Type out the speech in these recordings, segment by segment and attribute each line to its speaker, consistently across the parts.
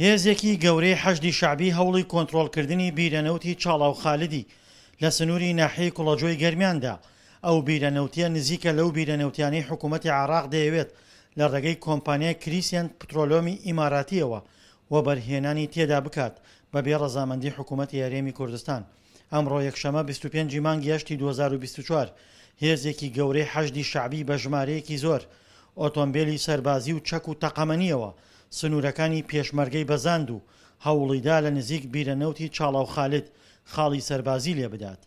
Speaker 1: هێزێکی گەورەی حەشدی شەعبی هەوڵی کۆنترۆڵکردنی بیرە نەوتی چاڵاو خالدی لە سنووری ناحیەی کوڵەجۆی گەرمیان دا، ئەو بیرە نەوتیە نزیکە لەو بیرە نەوتیانەی حکوومەتی عێراق دەیەوێت لە ڕێگەی کۆمپانیای کریسێنت پترۆلۆمی ئیماراتییەوە وەبەرهێنانی تێدا بکات بەبێ ڕەزامەندی حکوومەتی هەرێمی کوردستان. ئەمڕۆ یەکشەمە 25 ی مانگی هەشتی 2024 هێزێکی گەورەی حەشدی شەعبی بە ژمارەیەکی زۆر ئۆتۆمبێلی سەربازی و چەک و تەقەمەنییەوە سنوورەکانی پێشمەرگەی بەزاند و هەوڵیدا لە نزیک بیرە نەوتی چاڵاو خالد خاڵی سەربازی لێبدات.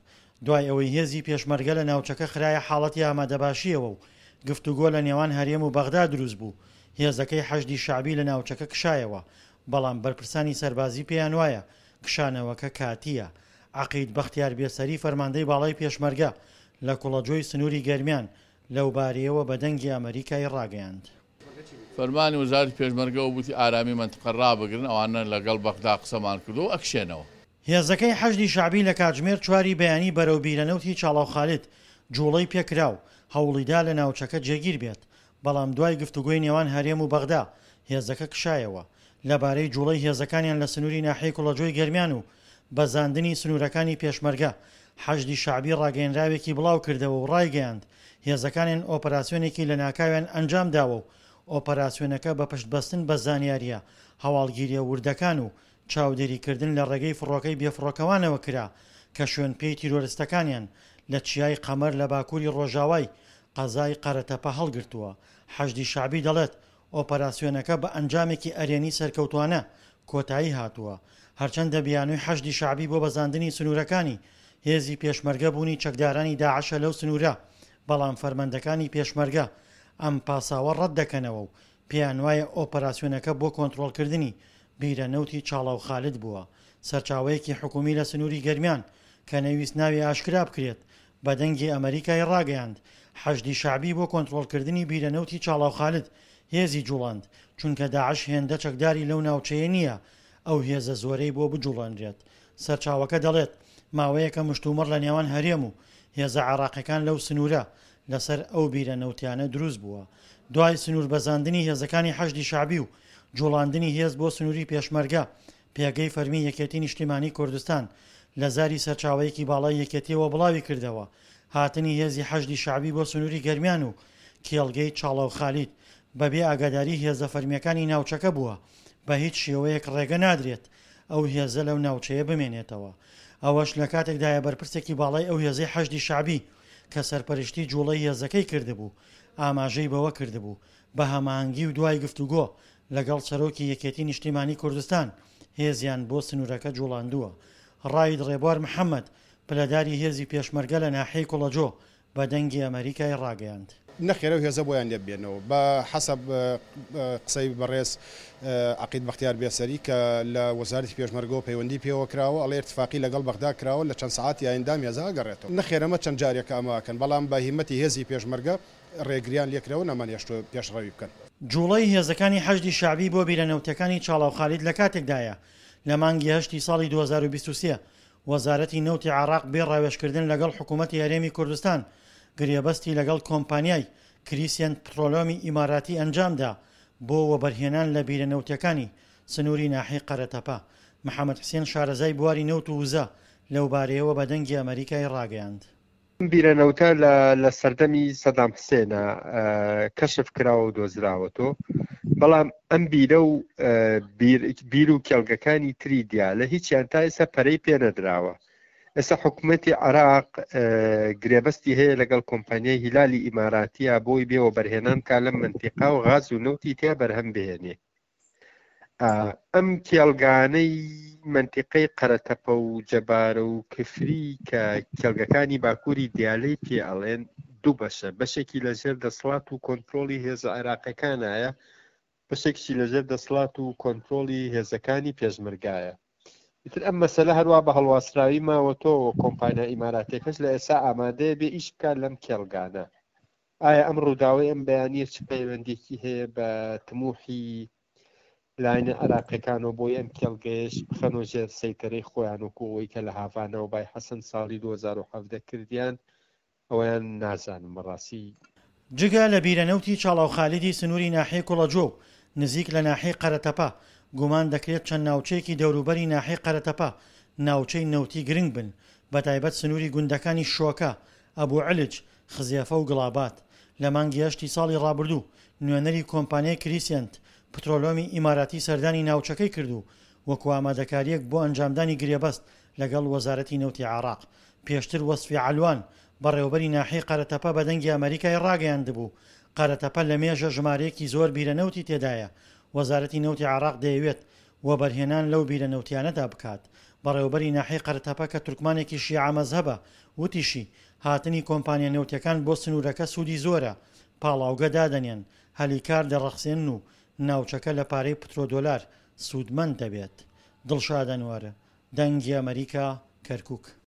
Speaker 1: دوای ئەوەی هێزی پێشمەرگە لە ناوچەکە خرایە حاڵەتی ئامادەباشییەوە و گفتوگۆ لە نێوان هەرێم و بەغدا دروست بوو، هێزەکەی حەشدی شەعبی لە ناوچەکە کشایەوە، بەڵام بەرپرسانی سەربازی پێیانوایە کشانەوەکە کاتییە. عەقید بەختیار بێسەری فەرماندەی باڵای پێشمەرگە لە کوڵەجۆی سنووری گەرمیان لەوبارەیەوە بە دەنگی ئەمەریکای ڕاگەیاند.
Speaker 2: فەرمانی وەزارەتی پێشمەرگەوە وتی ئارامی مەنتقە ڕابگرن، ئەوانە لەگەڵ بەغدا قسەمان کردووە و ئەکشێنەوە.
Speaker 1: هێزەکەی حەشدی شەعبی لە کاتژمێر چواری بەیانی بەرەو بیرەنەوتی چاڵاو خالد جوڵەی پێکرا و هەوڵیدا لە ناوچەکە جێگیر بێت، بەڵام دوای گفتوگۆی نێوان هەرێم و بەغدا هێزەکە کشایەوە. لەبارەی جوڵەی هێزەکانیان لە سنوری ناحیەی کوڵەجۆی گەرمیان و بەزاندنی سنورەکانی پێشمەرگە، حەشدی شەعبی ڕاگەیەنراوێکی بڵاوکردەوە و ڕایگەیاند، هێزەکانیان ئۆپەراسیۆنێکی لەناکاویان ئەنجامداوە و ئۆپەراسیۆنەکە بە پشتبەستن بە زانیارییە هەواڵگیرییە وردەکان و چاودێریکردن لە ڕێگەی فڕۆکەی بێفڕۆکەوانەوە کرا کە شوێنپێی تیرۆرستەکانیان لە چیای قەمەر لە باکووری ڕۆژاوای قەزای قەرەتەپە هەڵگرتووە. حەشدی شەعبی دەڵێت، ئۆپەراسیۆنەکە بە ئەنجامێکی ئەرێنی سەرکەوتووانە کۆتایی هاتووە. هەرچەندە بیانووی حەشدی شەعبی بۆ بەزاندنی سنوورەکانی هێزی پێشمەرگە بوونی چەکدارانی داعشە لەو سنوورە، بەڵام فەرمەندەکانی پێشمەرگە ئەم پاساوە ڕەت دەکەنەوە و پێیانوایە ئۆپەراسیۆنەکە بۆ کۆنترۆڵکردنی بیرە نەوتی چاڵاو خالد بووە. سەرچاوەیەکی حکومی لە سنووری گەرمیان کە نەیویست ناوی ئاشکرا بکرێت، بە دەنگی ئەمەریکای ڕاگەیاند، حەشدی شەعبی بۆ کۆنترۆڵکردنی بیرە نەوتی چاڵاو خالد هێزی جوڵاند، چونکە داعش هێندە چەکداری لەو ناوچەیە نییە ئەو هێزە زۆرەی بۆ بجوڵێنرێت. سەرچاوەکە دەڵێت، ماوەیەکە مشتومڕ لە نێوان هەرێم و هێزە عێراقیەکان لەو سنوورە لەسەر ئەو بیرە نەوتیانە دروست بووە. دوای سنووربەزاندنی هێزەکانی حەشدی شەعبی و جوڵاندنی هێز بۆ سنووری پێشمەرگە، پێگەی فەرمی یەکێتی نیشتیمانی کوردستان لە زاری سەرچاوەیەکی باڵای یەکێتیەوە بڵاوی کردەوە، هاتنی هێزی حەشدی شەعبی بۆ سنووری گەرمیان و کێڵگەی چاڵاو خالید بەبێ ئاگاداری هێزە فەرمییەکانی ناوچەکە بووە، بە هیچ شێوەیەک ڕێگە نادرێت ئەو هێزە لەو ناوچەیە بمێنێتەوە. ئەوەش لە کاتێکدایە بەرپرسێکی باڵای ئەو هێزەی حەشدی شەعبی کە سەرپەرشتی جوڵەی هێزەکەی کردبوو ئاماژەی بەوە کردبوو بە هەماهەنگی و دوای گفتوگۆ لەگەڵ سەرۆکی یەکێتی نیشتیمانی کوردستان هێزیان بۆ سنوورەکە جوڵاندووە. ڕائید ڕێبوار محەمەد، پلەداری هێزی پێشمەرگە لە ناحیەی کوڵەجۆ بە دەنگی ئەمەریکای ڕاگەیاند.
Speaker 3: نەخێر ئەو هێزە بۆیان لێ ببێنەوە. بە حەسەب قسەی بەڕێز عەقید بەختیار بێسەری کە لە وەزارەتی پێشمەرگەوە پەیوەندی پێوە کراوە ئەڵێ ئیتفاقی لەگەڵ بەغدا کراوە لە چەند سەعاتی ئایندە ئەم هێزە ئەگەڕێتەوە. نەخێر ئەمە چەند جارێکە ئەمە ئەکەن بەڵام بە هیمەتی هێزی پێشمەرگە ڕێگریان لێکراوە نەمانهێشتووە پێشڕەوی بکەن.
Speaker 1: جوڵەی هێزەکانی حەشدی شەعبی بۆ بیرە نەوتیەکانی چاڵاو خالید لە کاتێکدایە لە مانگی هەشتی ساڵی 2023 وەزارەتی نەوتی عێراق بێ ڕاوێژکردن لەگەڵ حکوومەتی هەرێمی کوردستان گرێبەستی لەگەڵ کۆمپانیای کریسێنت پترۆلۆمی ئیماراتی ئەنجامدا بۆ وەبەرهێنان لە بیرە نەوتیەکانی سنووری ناحیەی قەرەتەپە. محەمەد حسێن شارەزای بواری نەوت و وزە لەوبارەیەوە بە دەنگی ئەمەریکای ڕاگەیاند.
Speaker 4: ئەم بیرە نەوتە لە لە سەردەمی سەدام حسێنە کەشف کراوە و دۆزراوەتۆ بەڵام ئەم بیرە و بیر و کێڵگەکانی تری دیالە هیچیان تا ئێستا پەرەی پێ نەدراوە ئێستا حکوومەتی عراق گرێبەستی هەیە لەگەڵ کۆمپانیای هیلالی ئیماراتیە بۆی بێ وەبەرهێنان کا لەم منتیقا و غاز و نەوتی تیا بەرهەم بهێنێ ئەم کێڵگانەی مەنتیقەی قەرەتەپە و جەبارە و کفری کە کێڵگەکانی باکووری دیالەی پێ ئەڵێن دوو بەشە بەشێکی لەژێر دەسەڵات و کۆنترۆڵی هێزە عێراقەکانایە بەشێکیشی لەژێر دەسەڵات و کۆنترۆڵی هێزەکانی پێشمەرگایە ئیتر ئەم مەسەلە هەروا بە هەڵواسراوی ماوەتەوە کۆمپانیا ئیماراتیەکەش لە ئێستا ئامادەیە بێ ئیش بکات لەم کێڵگانە ئایا ئەم ڕووداوەی ئەم بەیانییە چ پەیوەندییەکی هەیە بە تموحی لایەنە عێراقیەکانەوە بۆی ئەم کێڵگەیەش بخەنەوە ژێر سەیتەرەی خۆیان وەکو ئەوەی کە لە هاڤانەوە بای حەسەن ساڵی 2017 کردیان ئەوەیان نازانم بەڕاستی.
Speaker 1: جگە لە بیرە نەوتی چاڵاو خالیدی سنووری ناحیەی کوڵەجۆ و نزیک لە ناحیەی قەرەتەپە، گومان دەکرێت چەند ناوچەیەکی دەوروبەری ناحیەی قەرەتەپە ناوچەی نەوتی گرنگ بن، بەتایبەت سنووری گوندەکانی شۆکە، ئەبو علج، خزێفە و گڵابات. لە مانگی هەشتی ساڵی ڕابردوو نوێنەری کۆمپانیای کریسێنت پترۆلۆمی ئیماراتی سەردانی ناوچەکەی کرد و وەکو ئامادەکارییەک بۆ ئەنجامدانی گرێبەست لەگەڵ وەزارەتی نەوتی عێراق. پێشتر وەسفی عەلوان، بەڕێوەبەری ناحیەی قەرەتەپە بە دەنگی ئەمەریکای ڕاگەیاندبوو، قەرەتەپە لە مێژە ژمارەیەکی زۆر بیرە نەوتی تێدایە، وەزارەتی نەوتی عێراق دەیەوێت وەبەرهێنان لەو بیرە نەوتیانەدا بکات. بەڕێوەبەری ناحیەی قەرەتەپە کە تورکمانێکی شیعە مەزهەبە، وتیشی، هاتنی کۆمپانیا نەوتیەکان بۆ سنوورەکە سوودی زۆرە، پاڵاوگە دادەنێن، هەلی کار دەڕەخسێنن و ناوچەکە لە پارەی پترۆدۆلار سوودمەند دەبێت. دڵشاد ئەنوەر، دەنگی ئەمەریکا، کەرکوک.